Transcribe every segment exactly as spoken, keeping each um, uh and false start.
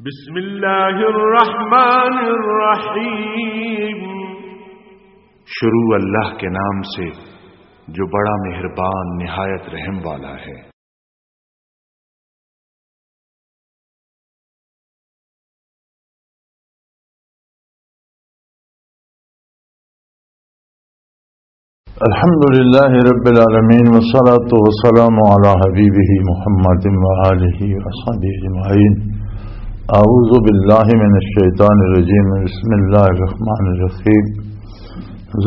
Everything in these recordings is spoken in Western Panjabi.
بسم اللہ الرحمن الرحیم۔ شروع اللہ کے نام سے، جو بڑا مہربان، نہایت رحم والا ہے۔ الحمد لله رب العالمين، والصلاة والسلام على حبيبه محمد وآله وصحبه أجمعين۔ أعوذ بالله من الشيطان الرجيم، بسم الله الرحمن الرحيم۔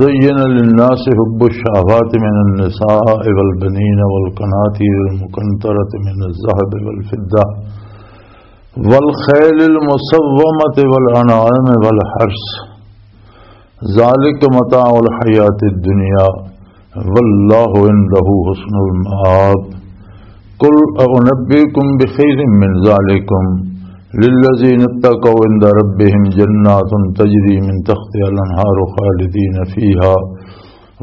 زين للناس حب الشهوات من النساء والبنين والقناطير المقنطرة من الذهب والفضة والخيل المسومة والأنعام والحرث، ذلك متاع الحياة الدنيا والله عنده حسن المآب۔ قل أنبئكم بخير من ذلكم للذين اتقوا عند ربهم جنات تجري من تحتها الأنهار خالدين فيها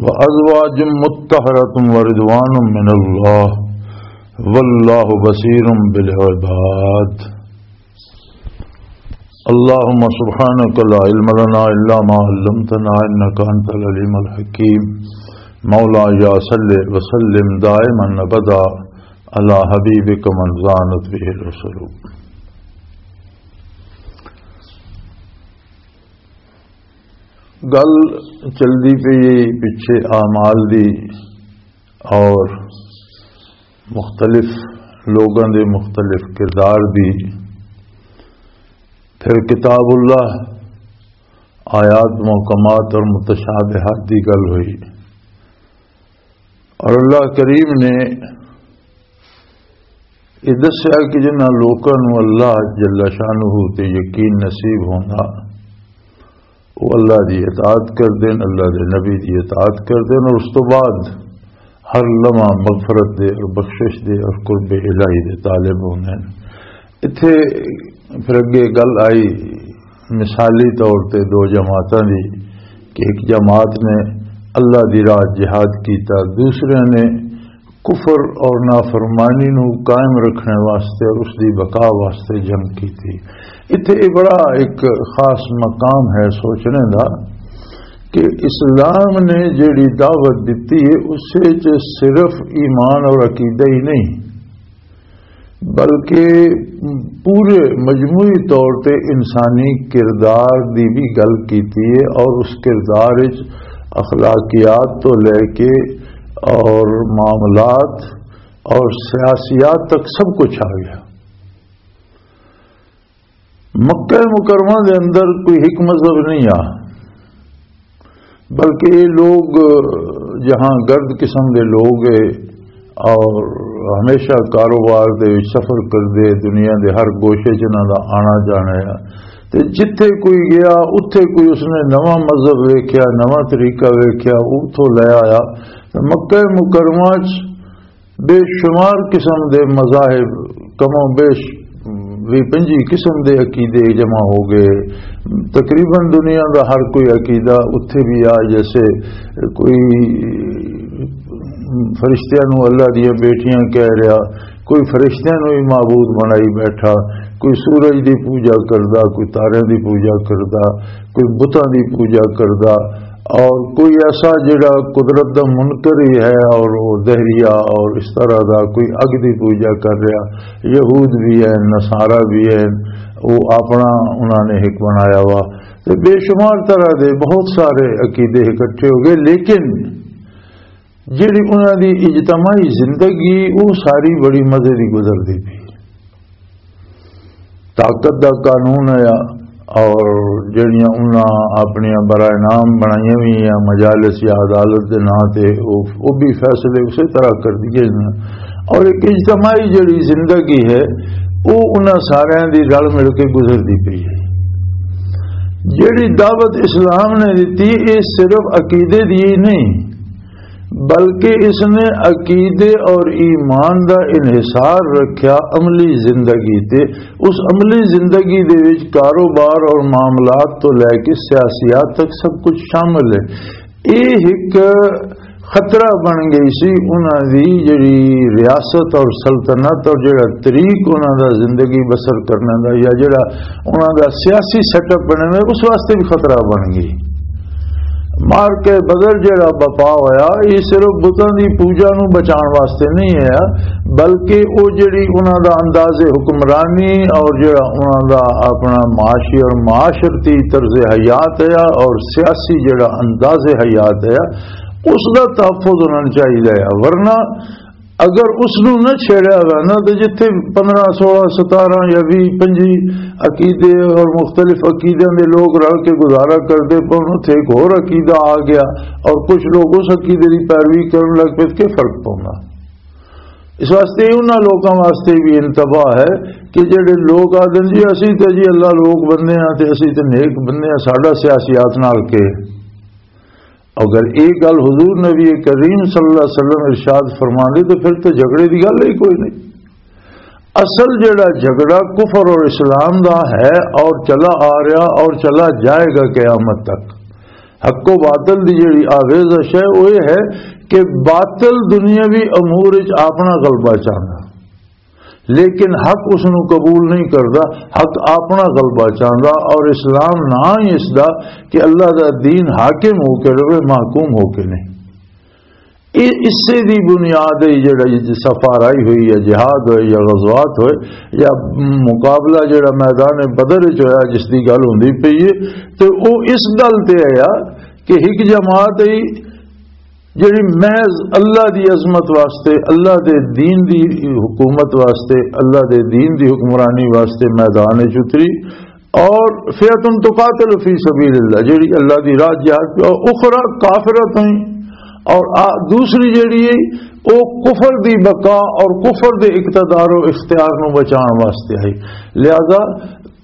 وأزواج مطهرة ورضوان من الله والله بصير بالعباد۔ اللهم سبحانك لا علم لنا إلا ما علمتنا إنك أنت العليم الحكيم۔ مولاي صل وسلم دائما أبدا على حبيبك من زانت به الرسل۔ گل چلدی پئی ہے پچھے اعمال دی اور مختلف لوگاں دے مختلف کردار دی۔ پھر کتاب اللہ، آیات محکمات اور متشابہات دی گل ہوئی، اور اللہ کریم نے یہ دسیا کہ جنہاں لوکاں نوں اللہ جل شانہ تے یقین نصیب ہوندا، وہ اللہ دی اطاعت کردے نے، اللہ دے نبی دی اطاعت کردے نے، اور اس تو بعد ہر لمحہ مغفرت دے اور بخشش دے اور قرب الہی دے طالب ہوندے نے۔ اتھے پھر اگے گل آئی مثالی طور تے دو جماعتاں دی، کہ ایک جماعت نے اللہ دی راہ جہاد کیتا، دوسرے نے کفر اور نافرمانی نو قائم رکھنے واسطے اور اس دی بقا واسطے جنگ کیتی۔ اتھے یہ بڑا ایک خاص مقام ہے سوچنے دا کہ اسلام نے جیڑی دعوت دتی ہے، اس وچ صرف ایمان اور عقیدہ ہی نہیں، بلکہ پورے مجموعی طور تے انسانی کردار دی بھی گل کیتی ہے، اور اس کردار وچ اخلاقیات تو لے کے اور معاملات اور سیاسیات تک سب کچھ آ گیا۔ مکہ مکرمہ دے اندر کوئی ایک مذہب نہیں آ، بلکہ یہ لوگ جہاں گرد قسم دے لوگ ہے اور ہمیشہ کاروبار دے وچ سفر کردے، دنیا دے ہر گوشے چ انہاں دا آنا جانا ہے۔ تے جتھے کوئی گیا، اتھے کوئی اس نے نواں مذہب ویکھیا، نواں طریقہ ویکھیا، اتھوں لے آیا۔ تے مکہ مکرمہ چ بے شمار قسم دے مذاہب، کم و بیش وی پنجی قسم دے عقیدے جمع ہو گئے۔ تقریباً دنیا دا ہر کوئی عقیدہ اتھے بھی آ، جیسے کوئی فرشتیاں نو اللہ دیاں بیٹیاں کہہ رہا، کوئی فرشتیاں نو ہی معبود بنائی بیٹھا، کوئی سورج دی پوجا کردا، کوئی تاریاں دی پوجا کردا، کوئی بتاں دی پوجا کردا، اور کوئی ایسا جڑا قدرت دا منکر ہی ہے اور وہ دہریہ اور اس طرح دا کوئی اگ دی پوجا کر رہا۔ یہود بھی ہیں، نصارہ بھی ہیں، وہ اپنا انہاں نے ایک بنایا ہوا۔ تے بے شمار طرح دے بہت سارے عقیدے اکٹھے ہو گئے، لیکن جڑی انہاں دی اجتماعی زندگی، وہ ساری بڑی مزے دی گزردی پئی۔ طاقت دا قانون ہے، اور جڑیاں انہاں اپنیاں برائے نام بنائیاں ہوئی ہیں مجالس یا عدالت دے نام تے، وہ، وہ بھی فیصلے اسی طرح کر دیے ہیں۔ اور ایک اجتماعی جڑی زندگی ہے، وہ انہاں سارے دی رل مل کے گزردی پئی ہے۔ جڑی دعوت اسلام نے دتی، یہ صرف عقیدے دی ہی نہیں، بلکہ اس نے عقیدے اور ایمان دا انحصار رکھیا عملی زندگی تے۔ اس عملی زندگی دے وچ کاروبار اور معاملات تو لے کے سیاسیات تک سب کچھ شامل ہے۔ یہ ایک خطرہ بن گئی سی انہاں دی جڑی ریاست اور سلطنت اور جڑا طریق انہاں دا زندگی بسر کرنے دا، یا جڑا انہاں دا سیاسی سیٹ اپ بنے ہوئے، اس واسطے بھی خطرہ بن گئی۔ مار کے بدر جڑا بپا ہویا، یہ صرف بتاں دی پوجا نو بچان واسطے نہیں ہویا، بلکہ او جڑی انہاں دا انداز حکمرانی اور جڑا انہاں دا اپنا معاشی اور معاشرتی طرز حیات ہے اور سیاسی جڑا انداز حیات ہے، اس دا تحفظ ہونا چاہیے۔ ورنہ اگر اس نو نہ چھیڑیا گیا نا، تو جتھے پندرہ، سولہ، ستارہ یا ویہہ، پنجی عقیدے اور مختلف عقیدیاں دے لوگ رل کے گزارا کردے پے، اتھے ایک ہور عقیدہ آ گیا اور کچھ لوگ اس عقیدے دی پیروی کرن لگ پے، کہ فرق پوندا؟ اس واسطے انہاں لوکاں واسطے بھی انتباہ ہے کہ جڑے لوگ آدن جی، اسی تے جی اللہ لوگ بندے ہاں تے اسی تے نیک بندے ہاں، ساڈا سیاسیات نال کے؟ اگر ایک گل حضور نبی کریم صلی اللہ علیہ وسلم ارشاد فرما دے تو پھر تو جھگڑے دی گل ہی کوئی نہیں۔ اصل جڑا جھگڑا کفر اور اسلام دا ہے اور چلا آ رہا اور چلا جائے گا قیامت تک۔ حق و باطل دی جڑی آویزش ہے، وہ یہ ہے کہ باطل دنیاوی امور وچ اپنا غلبہ چاہندا، لیکن حق اس نو قبول نہیں کردا۔ حق اپنا غلبہ چاہندا، اور اسلام نہ ہی اس دا کہ اللہ دا دین حاکم ہو کے رہے، محکوم ہو کے نہیں۔ اے اسے دی بنیاد ہے جڑا یہ سفر آئی ہوئی ہے، جہاد ہوئے یا غزوات ہوئے یا مقابلہ جڑا میدان بدر وچ ہویا، جس دی گل ہوندی پئی ہے، تے او اس گل تے آیا کہ ایک جماعت ہے جڑی محض اللہ دی عظمت واسطے، اللہ دے دین دی حکومت واسطے، اللہ دے دین دی حکمرانی واسطے میدان وچ اتری، اور فئۃ تقاتل فی سبیل اللہ، جڑی اللہ دی راہ جہاد پہ، اور اخری کافرۃ، اور آ-، دوسری جڑی ہے، وہ کفر دی بقا اور کفر دے اقتدار و اختیار نو بچان واسطے ہے۔ لہذا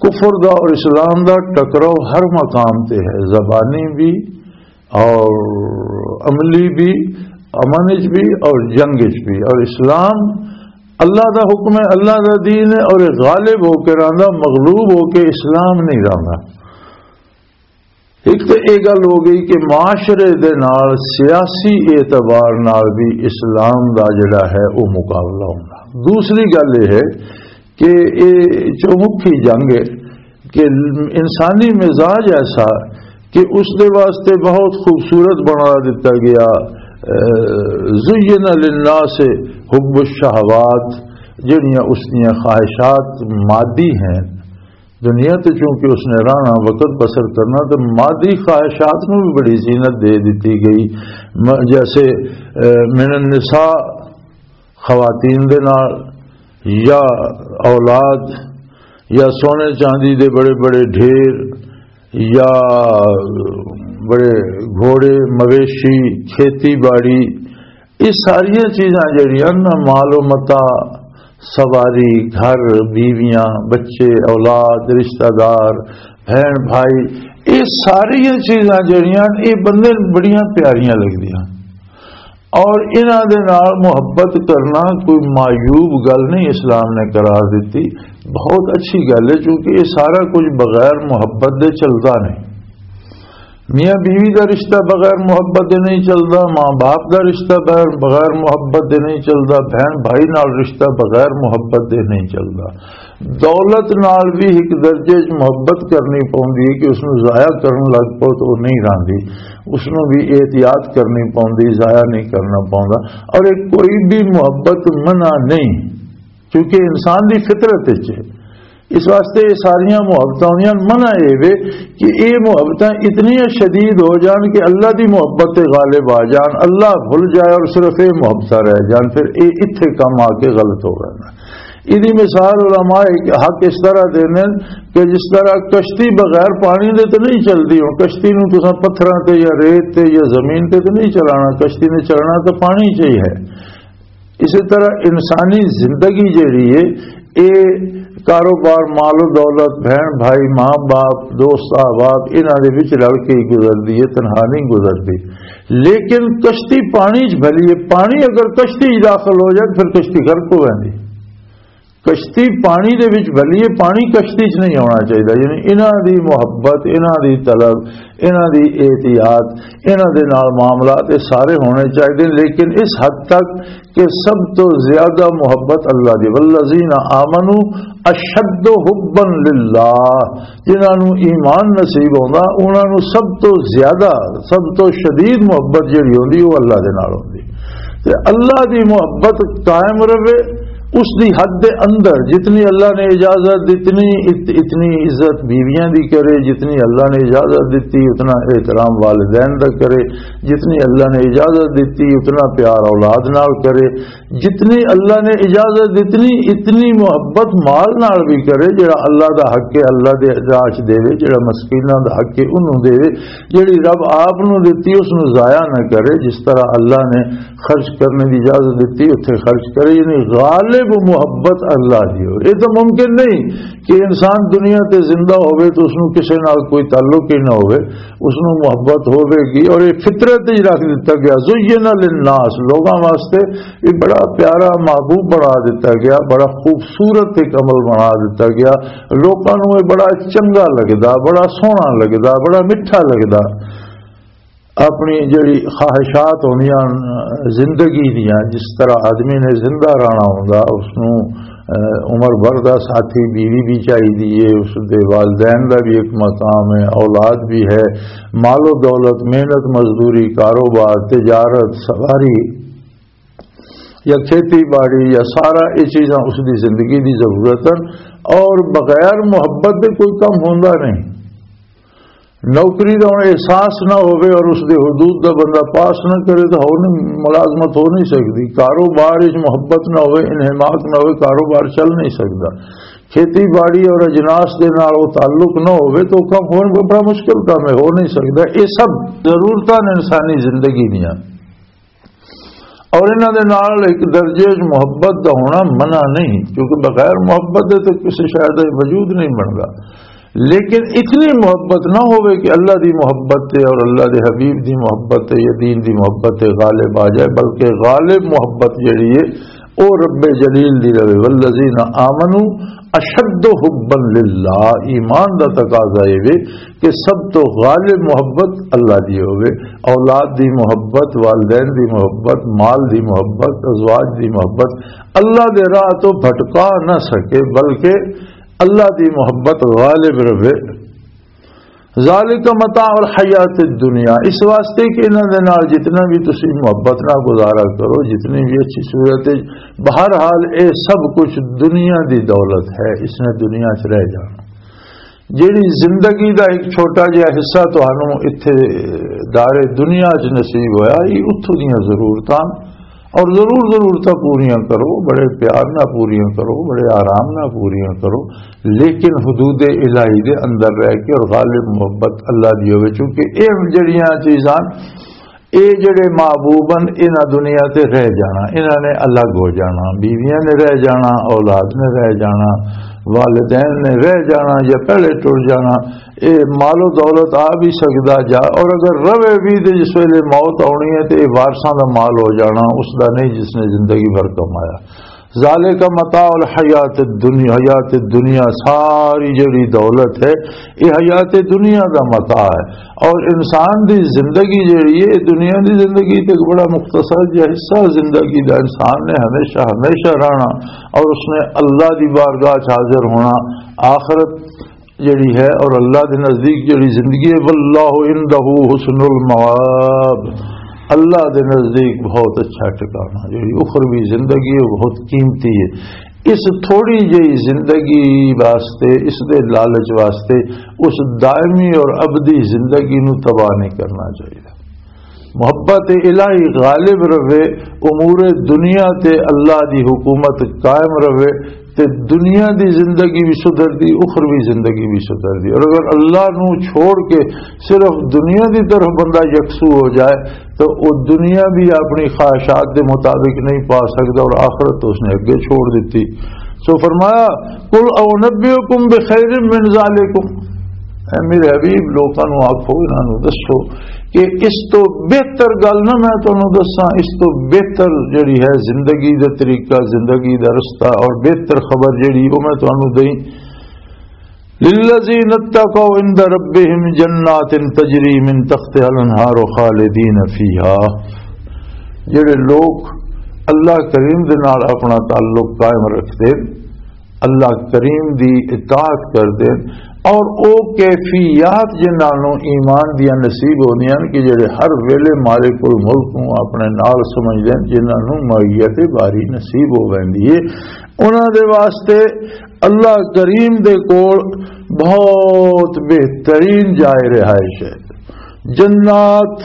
کفر دا اور اسلام دا ٹکراؤ ہر مقام تے ہے، زبانی بھی اور عملی بھی، امن وچ بھی اور جنگ وچ بھی۔ اور اسلام اللہ دا حکم ہے، اللہ دا دین ہے، اور یہ غالب ہو کے رہندا، مغلوب ہو کے اسلام نہیں رہندا۔ ایک تو یہ گل ہو گئی کہ معاشرے دے نال سیاسی اعتبار نال بھی اسلام دا جڑا ہے وہ مقابلہ ہونا۔ دوسری گل یہ ہے کہ یہ چومکھی جنگ ہے کہ انسانی مزاج ایسا کہ اس دے واسطے بہت خوبصورت بنا دیتا گیا۔ اے، زین للناس حب الشہوات، جڑیاں اس دیاں خواہشات مادی ہیں، دنیا تے چونکہ اس نے رہنا، وقت بسر کرنا، تو مادی خواہشات نو بھی بڑی زینت دے دیتی گئی۔ م-، جیسے، اے، من النساء، خواتین دے نال، یا اولاد، یا سونے چاندی دے بڑے بڑے ڈھیر، یا بڑے گھوڑے، مویشی، کھیتی باڑی، یہ ساریاں چیزاں جڑیاں نا، مال و متاع، سواری، گھر، بیویاں، بچے، اولاد، رشتہ دار، بہن بھائی، یہ ساریاں چیزاں جڑیاں، یہ بندے نوں بڑیاں پیاریاں لگدیاں۔ اور انہاں دے نال محبت کرنا کوئی معیوب گل نہیں، اسلام نے قرار دتی، بہت اچھی گل ہے، کیونکہ یہ سارا کچھ بغیر محبت دے چلدا نہیں۔ میاں بیوی دا رشتہ بغیر محبت دے نہیں چلدا، ماں باپ دا رشتہ بغیر، بغیر محبت دے نہیں چلدا، بہن بھائی نال رشتہ بغیر محبت دے نہیں چلدا۔ دولت نال بھی ایک درجے وچ محبت کرنی پوندی ہے کہ اس نوں ضائع کرن لگ پو تو وہ نہیں راندی، اس نوں بھی احتیاط کرنی پوندی، ضائع نہیں کرنا پوندا۔ اور یہ کوئی بھی محبت منع نہیں، کیونکہ انسان دی فطرت وچ ہے۔ اس واسطے یہ ساریاں محبتاں ہوندیاں، منع یہ وے کہ یہ محبتاں اتنی شدید ہو جان کہ اللہ دی محبت تے غالب آ جان، اللہ بھل جائے اور صرف یہ محبتاں رہ جان، پھر یہ اتھے کم آ کے غلط ہو گئے۔ ایدی مثال علماء ایک حق اس طرح دیندے نے کہ جس طرح کشتی بغیر پانی دے تے نہیں چلدی، ہن کشتی نوں تساں پتھراں تے یا ریت تے یا زمین تے تے نہیں چلانا، کشتی نے چلنا تے پانی چاہیے۔ اسی طرح انسانی زندگی جڑی ہے، اے کاروبار، مال و دولت، بہن بھائی، ماں باپ، دوست احباب، انہاں دے وچ رل کے ہی گزردی ہے، تنہا نہیں گزردی۔ لیکن کشتی پانی چ بھلی ہے، پانی اگر کشتی چ داخل ہو جائے، پھر کشتی غرق ہو جاندی۔ کشتی پانی دے وچ بھلی ہے، پانی کشتی چ نہیں آنا چاہیے۔ یعنی انہاں دی محبت، انہاں دی طلب، انہاں دی احتیاط، انہاں دے نال معاملات، یہ سارے ہونے چاہیے، لیکن اس حد تک کہ سب تو زیادہ محبت اللہ دی۔ والذین آمنوا اشد حبا للہ، جنہاں نوں ایمان نصیب ہوندا، انہاں نوں سب تو زیادہ، سب تو شدید محبت جڑی ہوندی، وہ اللہ دے نال ہوندی۔ تے اللہ دی محبت قائم رہے، اس دی حد دے اندر جتنی اللہ نے اجازت دتنی، ات-، اتنی عزت بیویاں دی کرے، جتنی اللہ نے اجازت دتی اتنا احترام والدین دا کرے، جتنی اللہ نے اجازت دتی اتنا پیار اولاد نال کرے، جتنی اللہ نے اجازت دتنی اتنی محبت مال نال بھی کرے، جڑا اللہ دا حق ہے اللہ دے راہ چ دے، جڑا مسکیناں دا حق ہے انہوں دے، جڑی رب آپ نو دتی اس نو ضائع نہ کرے، جس طرح اللہ نے خرچ کرنے دی اجازت دتی اتھے خرچ کرے، یعنی غالب محبت اللہ دی ہو۔ یہ تو ممکن نہیں کہ انسان دنیا تے زندہ ہوئے تو اس نو کسے نال کوئی تعلق ہی نہ ہوئے، اس نو محبت ہوئے گی، اور یہ فطرت ہی رکھ دتا گیا۔ زین للناس، لوگاں واسطے یہ بڑا پیارا محبوب بنا دتا گیا، بڑا خوبصورت ایک عمل بنا دتا گیا۔ لوکاں نو یہ بڑا چنگا لگدا، بڑا سوہنا لگدا، بڑا میٹھا لگدا۔ اپنی جڑی خواہشات ہوندیاں زندگی دیاں، جس طرح آدمی نے زندہ رہنا ہوندا، اس نو، اہ، عمر بھر دا ساتھی بیوی بھی چاہیے، اس دے والدین دا بھی ایک مقام ہے، اولاد بھی ہے، مال و دولت، محنت مزدوری، کاروبار، تجارت، سواری یا کھیتی باڑی یا سارا یہ چیزاں اس دی زندگی دی ضرورت ہیں، اور بغیر محبت دے کوئی کم ہوندا نہیں۔ نوکری دا ہن احساس نہ ہوئے اور اس دے حدود دا بندہ پاس نہ کرے تو ہو نہیں، ملازمت ہو نہیں سکدی۔ کاروبار وچ محبت نہ ہوئے، انہماک نہ ہوئے، کاروبار چل نہیں سکدا۔ کھیتی باڑی اور اجناس دے نال وہ تعلق نہ ہوئے تو کم ہون بڑا مشکل کام ہے، ہو نہیں سکدا۔ یہ سب ضرورتاں نے انسانی زندگی دیاں۔ اور انہاں دے نال ایک درجے وچ محبت دا ہونا منع نہیں، کیونکہ بغیر محبت دے تے کسی شے دا وجود نہیں بندا۔ لیکن اتنی محبت نہ ہوئے کہ اللہ دی محبت تے اور اللہ دے حبیب دی محبت تے یا دین دی محبت تے غالب آ جائے، بلکہ غالب محبت جڑی ہے، او رب جلیل دی رہے۔ والذین آمنوا اشد حبا للہ، ایمان دا تقاضا یہ وے کہ سب تو غالب محبت اللہ دی ہوئے، اولاد دی محبت، والدین دی محبت، مال دی محبت، ازواج دی محبت اللہ دے راہ تو بھٹکا نہ سکے، بلکہ اللہ دی محبت غالب رہے۔ ذالک متاع الحیات الدنیا، اس واسطے کہ انہاں دے نال جتنا بھی تسی محبت نال گزارا کرو، جتنی بھی اچھی صورت ہے، بہرحال اے سب کچھ دنیا دی دولت ہے، اس نے دنیا چ رہ جانا۔ جیڑی زندگی دا ایک چھوٹا جہا حصہ تہانوں اتھے دار دنیا چ نصیب ہویا، یہ اتھوں دیاں ضرورتاں اور ضرور ضرورتاں پوریاں کرو، بڑے پیار نہ پوریاں کرو، بڑے آرام نہ پوریاں کرو، لیکن حدود الہی دے اندر رہ کے اور غالب محبت اللہ دی ہوئے۔ چونکہ اے جڑیاں چیزاں، اے جڑے محبوب ہن، انہاں دنیا تے رہ جانا، انہاں نے الگ ہو جانا، بیویاں نے رہ جانا، اولاد نے رہ جانا، والدین نے رہ جانا یا پہلے ٹر جانا۔ اے مال و دولت آ بھی سکدا جا، اور اگر روے بھی تے جس ویلے موت آنی ہے تے اے وارثاں دا مال ہو جانا، اس دا نہیں جس نے زندگی بھر کمایا۔ ذالک متاع الحیات الدنیا، حیات الدنیا، ساری جڑی دولت ہے، یہ حیات دنیا دا متاع ہے۔ اور انسان دی زندگی جڑی ہے، دنیا دی زندگی تے ایک بڑا مختصر جہا حصہ زندگی دا۔ انسان نے ہمیشہ، ہمیشہ رہنا، اور اس نے اللہ دی بارگاہ چ حاضر ہونا۔ آخرت جڑی ہے اور اللہ دے نزدیک جڑی زندگی ہے، واللہ عندہ حسن المآب، اللہ دے نزدیک بہت اچھا ٹھکانہ۔ جڑی اخروی زندگی ہے، وہ بہت قیمتی ہے۔ اس تھوڑی جہی زندگی واسطے، اس دے لالچ واسطے، اس دائمی اور ابدی زندگی نو تباہ نہیں کرنا چاہیے۔ محبت الہی غالب رہے، امور دنیا تے اللہ دی حکومت قائم رہے، تے دنیا دی زندگی بھی سدھر دی، اخروی زندگی بھی سدھر دی۔ اور اگر اللہ نو چھوڑ کے صرف دنیا دی طرف بندہ یکسو ہو جائے، تو وہ دنیا بھی اپنی خواہشات دے مطابق نہیں پا سکتا، اور آخرت تو اس نے اگے چھوڑ دیتی۔ سو فرمایا، "قل انبئکم بخیر من ذالکم"، اے میرے حبیب، لوکاں نو آکھو، انہاں نو دسو کہ اس تو بہتر گل نہ میں تانوں دساں، اس تو بہتر جڑی ہے زندگی دا طریقہ، زندگی دا رستہ اور بہتر خبر جڑی، وہ میں تانوں دئی۔ للذین اتقوا عند ربهم جنات تجری من تحتها الانہار خالدین فیہا۔ جڑے لوگ اللہ کریم دے نال اپنا تعلق قائم رکھدے، اللہ کریم دی اطاعت کردے، اور او کیفیات جنہاں نوں ایمان دیاں نصیب ہوندیاں ہن کہ جڑے ہر ویلے مالک الملک نوں اپنے نال سمجھدے ہن، جنہاں نوں معیت باری نصیب ہو ویندی ہے، انہاں دے واسطے اللہ کریم دے کول بہت بہترین جائے رہائش ہے۔ جنات،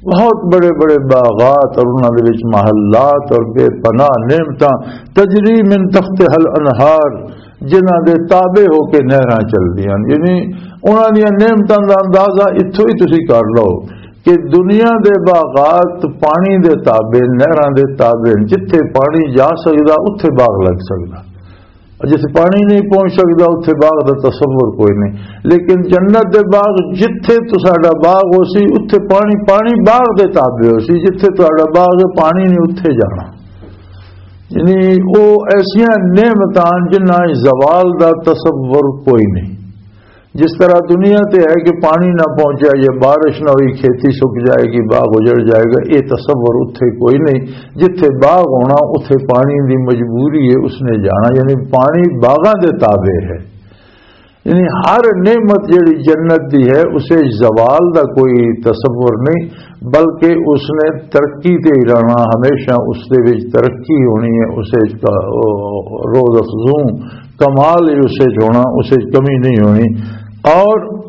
بہت بڑے بڑے باغات اور انہاں دے وچ محلات اور بے پناہ نعمتاں، تجری من تحتها الانہار، جنہاں دے تابع ہو کے نہراں چلدیاں ہن۔ یعنی انہاں دیاں نعمتاں دا اندازہ اتھوں ہی تسی کر لو کہ دنیا دے باغات پانی دے تابع، نہراں دے تابع ہن۔ جتھے پانی جا سکدا، اتھے باغ لگ سکدا۔ جتھے پانی نہیں پہنچ سکدا، اتھے باغ دا تصور کوئی نہیں۔ لیکن جنت دے باغ، جتھے تساڈا باغ ہو سی، اتھے پانی، پانی باغ دے تابع ہو سی۔ جتھے تساڈا باغ ہے، پانی نہیں اتھے جانا۔ یعنی او ایسیاں نعمتاں جنہاں زوال دا تصور کوئی نہیں۔ جس طرح دنیا تے ہے کہ پانی نہ پہنچیا یا بارش نہ ہوئی، کھیتی سک جائے گی، باغ اجڑ جائے گا، یہ تصور اتھے کوئی نہیں۔ جتھے باغ ہونا، اتھے پانی دی مجبوری ہے، اس نے جانا، یعنی پانی باغاں دے تابع ہے۔ یعنی ہر نعمت جڑی جنت دی ہے، اسے زوال دا کوئی تصور نہیں، بلکہ اس نے ترقی تے ہی رہنا، ہمیشہ اس دے وچ ترقی ہونی ہے، اسے وچ کا-، او، روز افزوں کمال ہی اسے وچ ہونا، اسے وچ کمی نہیں ہونی۔ اور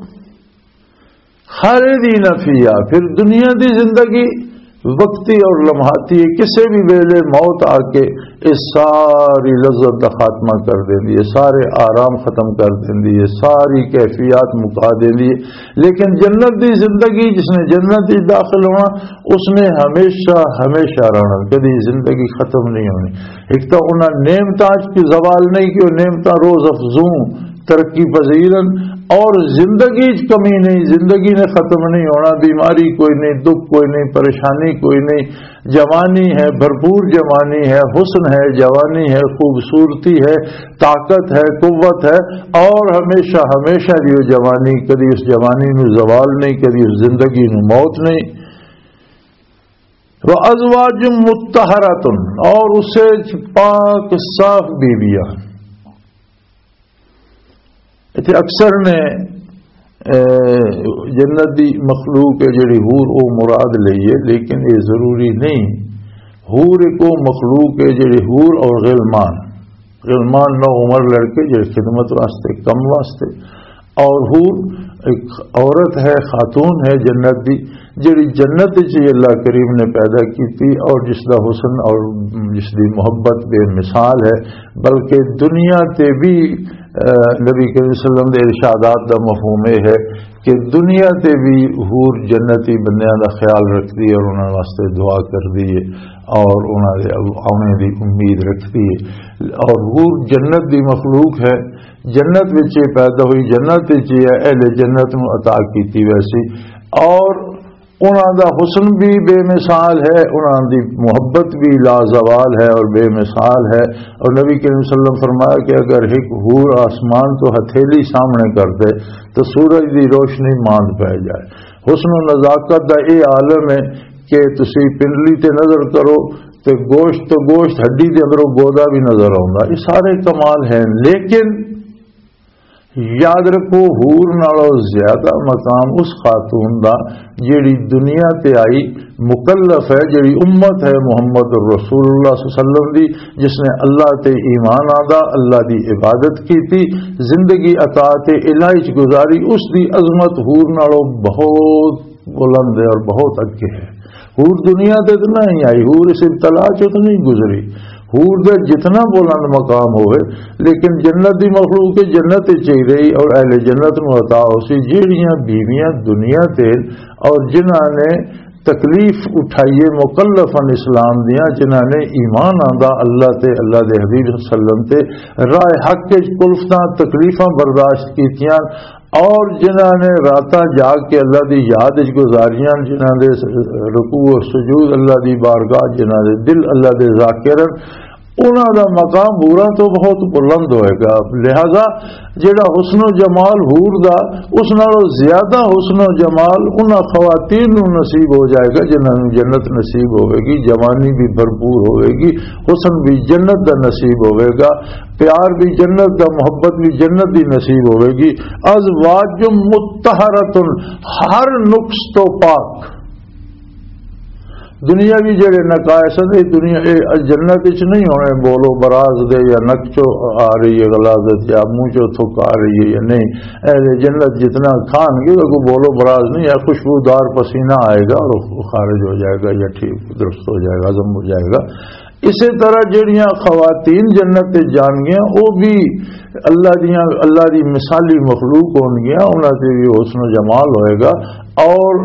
خالدین فیہا، پھر دنیا دی زندگی وقتی اور لمحاتی ہے، کسے بھی ویلے موت آ کے اس ساری لذت دا خاتمہ کر دیندی ہے، سارے آرام ختم کر دیندی ہے، ساری کیفیات مکا دیندی ہے۔ لیکن جنت دی زندگی، جس نے جنت وچ داخل ہونا، اس نے ہمیشہ، ہمیشہ رہنا، کدی زندگی ختم نہیں ہونی۔ ایک تو انہاں نعمتاں وچ کوئی زوال نہیں کہ وہ نعمتاں روز افزوں ترقی پذیر ہن، اور زندگی وچ کمی نہیں، زندگی نے ختم نہیں ہونا، بیماری کوئی نہیں، دکھ کوئی نہیں، پریشانی کوئی نہیں، جوانی ہے، بھرپور جوانی ہے، حسن ہے، جوانی ہے، خوبصورتی ہے، طاقت ہے، قوت ہے، اور ہمیشہ، ہمیشہ دی وہ جوانی، کدی اس جوانی نو زوال نہیں، کدی اس زندگی نو موت نہیں۔ وَأَزْوَاجٌ مُّطَّهَّرَةٌ، اور اسے پاک صاف بیویاں۔ اتھے اکثر نے، اے، جنت دی مخلوق ہے جڑی حور، او مراد لئی ہے، لیکن یہ ضروری نہیں۔ حور ایک او مخلوق ہے جڑی حور اور غلمان، غلمان نو عمر لڑکے جڑے خدمت واسطے، کم واسطے، اور حور ایک عورت ہے، خاتون ہے جنت دی، جڑی جنت وچ ہی اللہ کریم نے پیدا کیتی اور جس دا حسن اور جس دی محبت بے مثال ہے، بلکہ دنیا تے بھی، اے، نبی کریم صلی اللہ علیہ وسلم دے ارشادات دا مفہوم یہ ہے کہ دنیا تے بھی حور جنتی بندیاں دا خیال رکھدی ہے اور انہاں واسطے دعا کردی ہے اور انہاں دے آنے دی امید رکھدی ہے۔ اور حور جنت دی مخلوق ہے، جنت وچ یہ پیدا ہوئی، جنت وچ یہ اہل جنت نوں عطا کیتی ویسی، اور انہاں دا حسن بھی بے مثال ہے، انہاں دی محبت بھی لازوال ہے اور بے مثال ہے۔ اور نبی کریم صلی اللہ علیہ وسلم فرمایا کہ اگر ایک حور آسمان تو ہتھیلی سامنے کر دے تو سورج دی روشنی ماند پہ جائے۔ حسن و نزاکت دا اے عالم ہے کہ تسی پنڈلی تے نظر کرو تے گوشت تو گوشت، ہڈی دے اندروں گودا بھی نظر آوندا۔ یہ سارے کمال ہیں، لیکن یاد رکھو، حور نالوں زیادہ مقام اس خاتون دا جیڑی دنیا تے آئی، مکلف ہے، جیڑی امت ہے محمد رسول اللہ صلی اللہ علیہ وسلم دی، جس نے اللہ تے ایمان آندا، اللہ دی عبادت کیتی، زندگی اطاعت الہی چ گزاری، اس دی عظمت حور نالوں بہت بلند ہے اور بہت اگے ہے۔ حور دنیا تے تو نہیں آئی، حور اس ابتلا چوں تو نہیں گزری۔ حور دے جتنا بلند مقام ہوئے، لیکن جنت دی مخلوق کے جنت وچ ہی رہی اور اہل جنت نوں عطا ہو سی۔ جیڑیاں بیویاں دنیا تے اور جنہاں نے تکلیف اٹھائی ہے مکلفاً اسلام دیاں، جنہاں نے ایمان آندا اللہ تے، اللہ دے حبیب صلی اللہ علیہ وسلم تے، راہ حق وچ کلفتاں تکلیفاں برداشت کیتیاں، اور جنہاں نے راتاں جاگ کے اللہ دی یاد وچ گزاریاں، جنہاں دے رکوع و سجود اللہ دی بارگاہ، جنہاں دے دل اللہ دے ذاکر، انہاں دا مقام حوراں تو بہت بلند ہوئے گا۔ لہذا جڑا حسن و جمال حور دا، اس نالوں زیادہ حسن و جمال انہاں خواتین نوں نصیب ہو جائے گا جنہاں نوں جنت نصیب ہوئے گی، جوانی بھی بھرپور ہوئے گی، حسن بھی جنت دا نصیب ہوئے گا، پیار بھی جنت دا، محبت بھی جنت دی نصیب ہوئے گی۔ ازواج مطہرۃ، ہر نقص تو پاک۔ دنیاوی جڑے نقائص نے، دنیا، اے جنت وچ نہیں ہونے، بولو براز دے یا نک چو آ رہی ہے غلاظت، یا منہ چو تھک آ رہی ہے یا نہیں۔ اہل جنت جتنا کھان گے، وہ بولو براز نہیں ہے، خوشبودار پسینہ آئے گا اور وہ خارج ہو جائے گا یا ٹھیک درست ہو جائے گا، ہضم ہو جائے گا۔ اسی طرح جڑیاں خواتین جنت تے جان گیاں، وہ بھی اللہ دیاں، اللہ دی مثالی مخلوق ہون گیاں، انہاں تے بھی حسن و جمال ہوئے گا، اور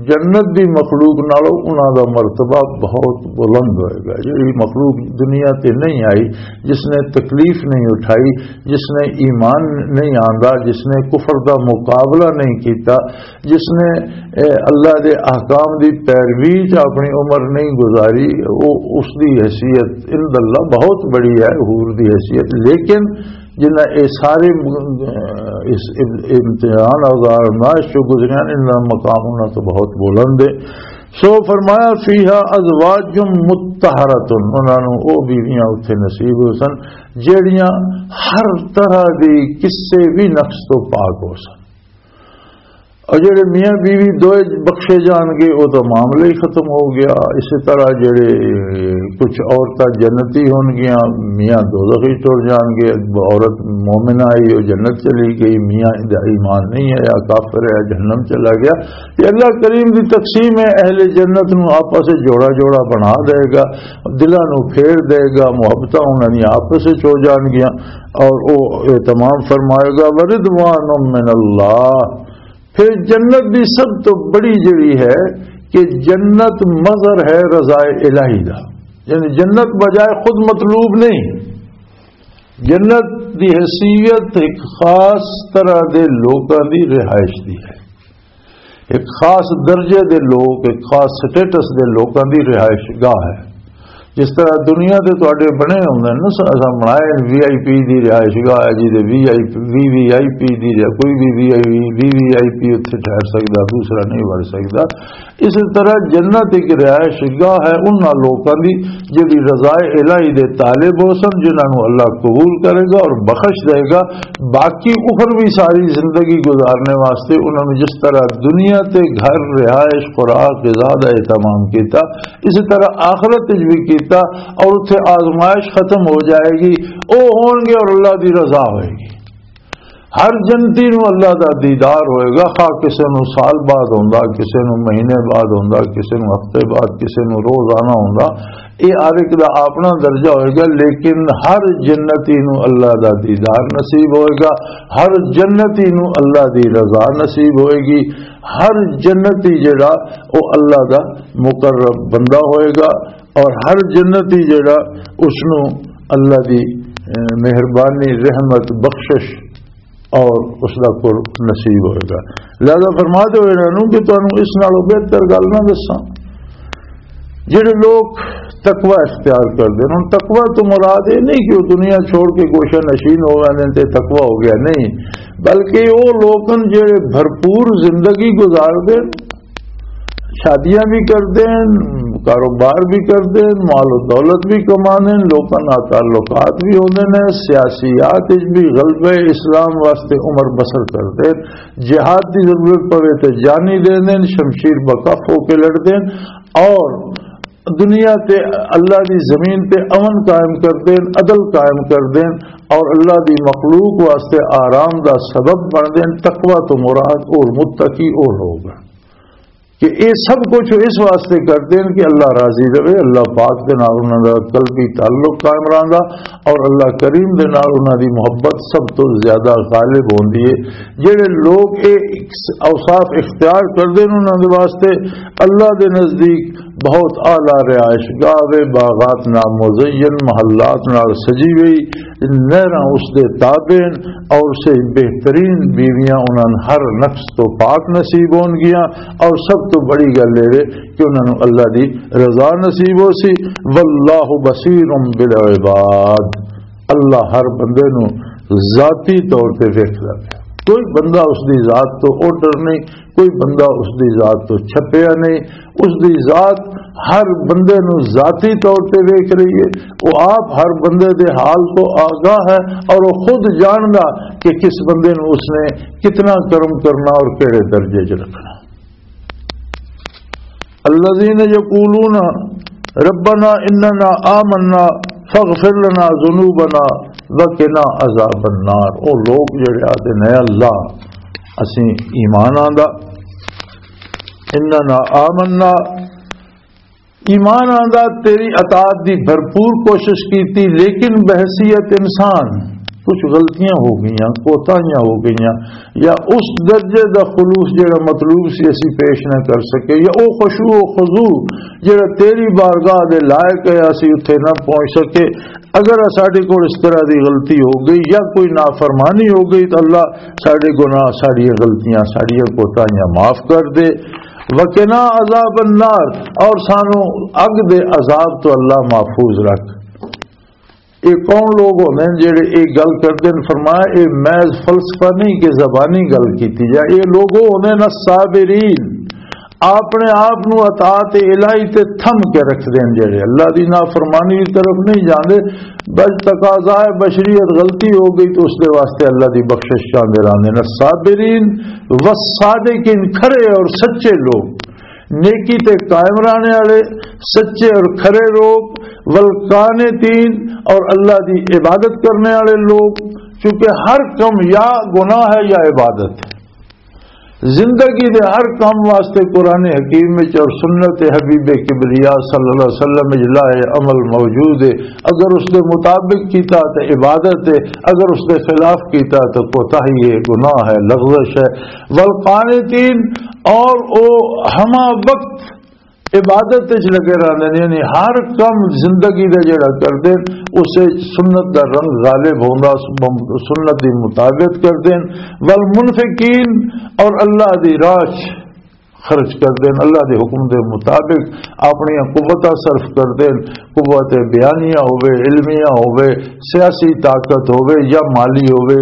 جنت دی مخلوق نالوں انہاں دا مرتبہ بہت بلند ہوئے گا۔ جڑی مخلوق دنیا تے نہیں آئی، جس نے تکلیف نہیں اٹھائی، جس نے ایمان نہیں آندا، جس نے کفر دا مقابلہ نہیں کیتا، جس نے، اے، اللہ دے احکام دی پیروی چ اپنی عمر نہیں گزاری، وہ، اس دی حیثیت عند اللہ بہت بڑی ہے، حور دی حیثیت۔ لیکن جنہاں اے سارے، اے، اس ام-، امتحان اور آزمائش جو گزریاں، انہاں دا مقام انہاں تو بہت بلند ہے۔ سو فرمایا، فیہا ازواج مطہرۃ، انہاں نوں او بیویاں اتھے نصیب ہو سن، جڑیاں ہر طرح دی کسے بھی نقص تو پاک ہو سن۔ اور جڑے میاں بیوی دوئے بخشے جان گے، وہ تو معاملہ ہی ختم ہو گیا۔ اسی طرح جڑے کچھ عورتاں جنتی ہون گیاں، میاں دوزخی ٹر جان گے۔ عورت مومنہ آئی، وہ جنت چلی گئی، میاں دا ایمان نہیں آیا، کافر ہے، جہنم چلا گیا۔ یہ اللہ کریم دی تقسیم ہے، اہل جنت نو آپس وچ جوڑا جوڑا بنا دے گا، دلاں نو پھیر دے گا، محبتاں انہاں دی آپس وچ ہو جان گیاں۔ اور وہ اہتمام فرمائے گا، ورضوان من اللہ۔ پھر جنت دی سب تو بڑی جڑی ہے کہ جنت مظہر ہے رضا الہی دا، یعنی جنت بجائے خود مطلوب نہیں۔ جنت دی حیثیت ایک خاص طرح دے لوکاں دی رہائش دی ہے، ایک خاص درجے دے لوگ، ایک خاص سٹیٹس دے لوکاں دی رہائش گاہ ہے۔ جس طرح دنیا دے تواڈے بنے ہوندے نے نا، اساں بنائے وی آئی پی دی رہائش گاہ ہے، جی دے وی آئی پی، وی وی آئی پی دی رہائش، کوئی بھی وی آئی پی، وی وی آئی پی اتھے ٹھہر سکدا، دوسرا نہیں وڑ سکدا۔ اس طرح جنت ایک رہائش گاہ ہے انہاں لوکاں دی جڑی رضا الہی دے طالب ہو سن، جنہاں نوں اللہ قبول کرے گا اور بخش دے گا۔ باقی اخروی ساری زندگی گزارنے واسطے انہاں نوں جس طرح دنیا تے گھر، رہائش، خوراک، غذا دا اہتمام کیتا، اسی طرح آخرت وچ بھی کیتا، اور اتھے آزمائش ختم ہو جائے گی، او ہون گے اور اللہ دی رضا ہوئے گی۔ ہر جنتی نو اللہ دا دیدار ہوئے گا، خواہ کسے نو سال بعد ہوندا، کسے نو مہینے بعد ہوندا، کسے نو ہفتے بعد، کسے نو روزانہ ہوندا۔ اے ہر ایک دا اپنا درجہ ہوئے گا، لیکن ہر جنتی نو اللہ دا دیدار نصیب ہوئے گا، ہر جنتی نو اللہ دی رضا نصیب ہوئے گی، ہر جنتی جڑا او اللہ دا مقرب بندہ ہوئے گا، اور ہر جنتی جڑا اس نو اللہ دی، اے، مہربانی، رحمت، بخشش اور اس دا قرب نصیب ہوئے گا۔ لہذا فرما دو انہاں نوں کہ تانوں اس نالوں بہتر گل نہ دساں۔ جڑے لوگ تقوی اختیار کردے نے، ہن تقوی تو مراد یہ نہیں کہ وہ دنیا چھوڑ کے گوشہ نشین ہو ویندے تے تقوی ہو گیا، نہیں، بلکہ وہ لوگ ہن جڑے بھرپور زندگی گزار دے، شادیاں بھی کردے ہیں، کاروبار بھی کردے ہیں، مال و دولت بھی کمانے ہیں، لوکاں نال تعلقات بھی ہوندے نے، سیاسیات وچ بھی غلبہ اسلام واسطے عمر بسر کردے ہیں، جہاد دی ضرورت پوے تے جانی دے دین، شمشیر بکف ہو کے لڑ دین، اور دنیا تے اللہ دی زمین تے امن قائم کر دین، عدل قائم کر دین، اور اللہ دی مخلوق واسطے آرام دا سبب بن دین۔ تقوی تو مراد اور متقی اور ہوگا کہ اے سب کچھ اس واسطے کر دین کہ اللہ راضی رہے، اللہ پاک دے نال انہاں دا قلبی تعلق قائم رہندا، اور اللہ کریم دے نال انہاں دی محبت سب تو زیادہ غالب ہوندی ہے۔ جڑے لوگ اے اوصاف اختیار کردے نے، انہاں دے واسطے اللہ دے نزدیک بہت اعلیٰ رہائش گاہ وے، باغات نال مزین، محلات نال سجی ہوئی، نہراں اس دے تابع ہن، اور سے بہترین بیویاں انہاں نوں ہر نقص تو پاک نصیب ہون گیاں، اور سب تو بڑی گل اے وے کہ انہاں نوں اللہ دی رضا نصیب ہو سی۔ واللہ بصیر بالعباد، اللہ ہر بندے نوں ذاتی طور تے ویکھدا پیا۔ کوئی بندہ اس دی ذات تو اوڈر نہیں، کوئی بندہ اس دی ذات تو چھپیا نہیں۔ اس دی ذات ہر بندے نوں ذاتی طور تے ویکھ رہی ہے۔ وہ آپ ہر بندے دے حال تو آگاہ ہے، اور وہ خود جاندا کہ کس بندے نوں اس نے کتنا کرم کرنا اور کہڑے درجے چ رکھنا۔ الذين يقولون ربنا اننا آمنا فاغفر لنا ذنوبنا وقنا عذاب النار۔ او لوگ جڑے آتے نے، اللہ، اسیں ایمان آندا، اننا آمنا، ایمان آندا، تیری اطاعت دی بھرپور کوشش کیتی، لیکن بحیثیت انسان کچھ غلطیاں ہو گئیاں، کوتاہیاں ہو گئیاں، یا اس درجے دا خلوص جڑا مطلوب سی، اسی پیش نہ کر سکے، یا او خشوع و خضوع جڑا تیری بارگاہ دے لائق ہے، اسی اتھے نہ پہنچ سکے۔ اگر ساڈے کول اس طرح دی غلطی ہو گئی یا کوئی نافرمانی ہو گئی، تو اللہ، ساڈے گناہ، ساڈیاں غلطیاں، ساڈیاں کوتاہیاں معاف کر دے۔ وقنا عذاب النار، اور سانو اگ دے عذاب تو اللہ محفوظ رکھ۔ یہ کون لوگ ہوندے نے جڑے یہ گل کردے نے؟ فرمایا، یہ محض فلسفہ نہیں کہ زبانی گل کیتی جائے۔ یہ لوگ وہ ہوندے نے الصابرین، اپنے آپ نو اطاعت الہی تے تھم کے رکھ دین، جڑے اللہ دی نافرمانی دی طرف نہیں جاندے، بس تقاضا ہے بشریت، غلطی ہو گئی تو اس دے واسطے اللہ دی بخشش چاہندے رہندے نے۔ الصابرین والصادقین، کھرے اور سچے لوگ، نیکی تے قائم رہنے والے، سچے اور کھرے لوگ، والقانتین، اور اللہ دی عبادت کرنے والے لوگ، کیونکہ ہر کم یا گناہ ہے یا عبادت ہے۔ زندگی دے ہر کام واسطے قرآن حکیم وچ اور سنت حبیب کبریا صلی اللہ علیہ وسلم وچ لائے عمل موجود ہے۔ اگر اس دے مطابق کیتا تو عبادت ہے، اگر اس دے خلاف کیتا تو کوتاہی ہے، گناہ ہے، لغزش ہے۔ والقانتین، اور او ہما وقت عبادت وچ لگے رہندے نے، یعنی ہر کم زندگی دا جڑا کردے، اسے سنت دا رنگ غالب ہوندا، سنت دی مطابقت کردے۔ والمنفقین، اور اللہ دی راہ چ خرچ کردے، اللہ دے حکم دے مطابق اپنی قوتاں صرف کردے، قوت بیانیہ ہوے، علمیہ ہوے، سیاسی طاقت ہوے یا مالی ہوے،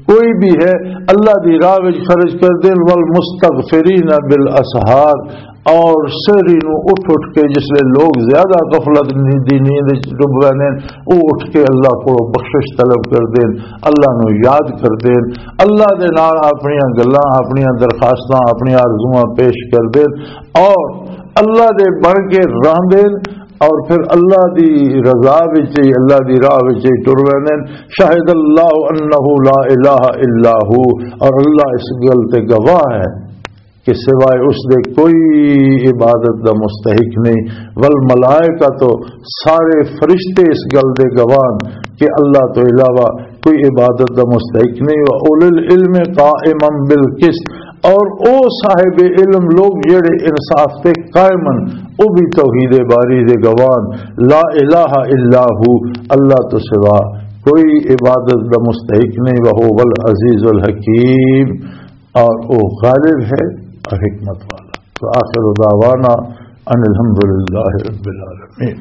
کوئی بھی ہے، اللہ دی راہ وچ خرچ کردے۔ والمستغفرین بالاسحار، اور سحری نو اٹھ اٹھ کے، جس لے لوگ زیادہ غفلت دی نیند وچ ڈوب ویندے نے، او اٹھ کے اللہ کولوں بخشش طلب کردے نے، اللہ نو یاد کردے نے، اللہ دے نال اپنیاں گلاں، اپنیاں درخواستاں، اپنیاں آرزواں پیش کردے نے، اور اللہ دے بن کے رہندے نے، اور پھر اللہ دی رضا وچ ہی، اللہ دی راہ وچ ہی ٹر ویندے نے۔ شہد اللہ انہ لا الہ الا ہو، اور اللہ اس گل تے گواہ ہے کہ سوائے اس دے کوئی عبادت دا مستحق نہیں۔ والملائکہ، تو سارے فرشتے اس گل دے گواہ کہ اللہ تو علاوہ کوئی عبادت دا مستحق نہیں۔ وَأُولِي الْعِلْمِ قَائِمًا بِالْقِسْطِ، اور او صاحب علم لوگ جڑے انصاف تے قائم ہن، او بھی توحید باری دے گواہ ہن۔ لا الہ الا ہو، اللہ تو سوا کوئی عبادت دا مستحق نہیں۔ وَهُوَ الْعَزِيزُ الْحَكِيمُ، اور او غالب ہے اور حکمت والا۔ وآخر دعوانا ان الحمد للہ رب العالمین۔